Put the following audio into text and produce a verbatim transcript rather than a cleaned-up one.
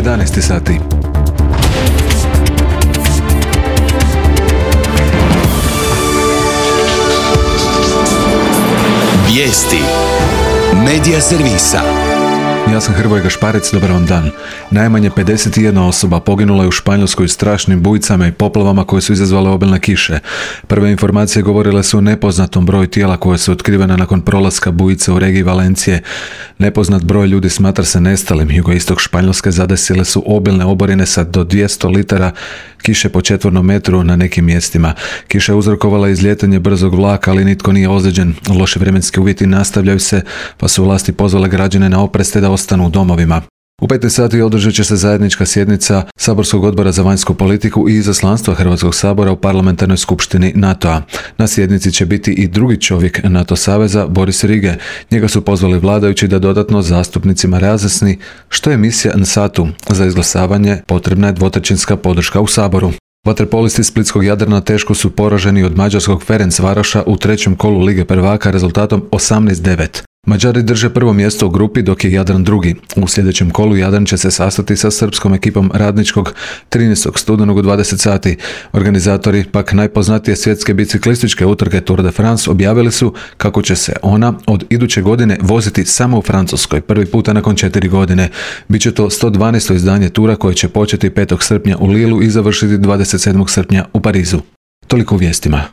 jedanaest sati. Vijesti Medija servisa. Ja sam Hrvoje Gašparec, dobar vam dan. Najmanje pedeset jedna osoba poginula je u Španjolskoj strašnim bujicama i poplavama koje su izazvale obilne kiše. Prve informacije govorile su o nepoznatom broju tijela koje su otkrivene nakon prolaska bujice u regiji Valencije. Nepoznat broj ljudi smatra se nestalim. Jugoistok Španjolske zadesile su obilne oborine sa do dvjesto litara kiše po četvornom metru na nekim mjestima. Kiša je uzrokovala izlijetanje brzog vlaka, ali nitko nije ozlijeđen. Loši vremenski uvjeti nastavljaju se, pa su vlasti pozvale građane na oprez te da ostanu u domovima. U petnaest sati održat će se zajednička sjednica Saborskog odbora za vanjsku politiku i izaslanstva Hrvatskog sabora u parlamentarnoj skupštini NATO-a. Na sjednici će biti i drugi čovjek NATO saveza, Boris Rige. Njega su pozvali vladajući da dodatno zastupnicima razjasni što je misija N S A T-u. Za izglasavanje potrebna je dvotrećinska podrška u Saboru. Vaterpolisti splitskog Jadrana teško su poraženi od mađarskog Ferencvaroša u trećem kolu Lige prvaka rezultatom osamnaest devet. Mađari drže prvo mjesto u grupi dok je Jadran drugi. U sljedećem kolu Jadran će se sastati sa srpskom ekipom Radničkog trinaestog studenog u dvadeset sati. Organizatori pak najpoznatije svjetske biciklističke utrke Tour de France objavili su kako će se ona od iduće godine voziti samo u Francuskoj, prvi puta nakon četiri godine. Biće to sto dvanaesto izdanje tura koje će početi petog srpnja u Lilu i završiti dvadeset sedmog srpnja u Parizu. Toliko u vijestima.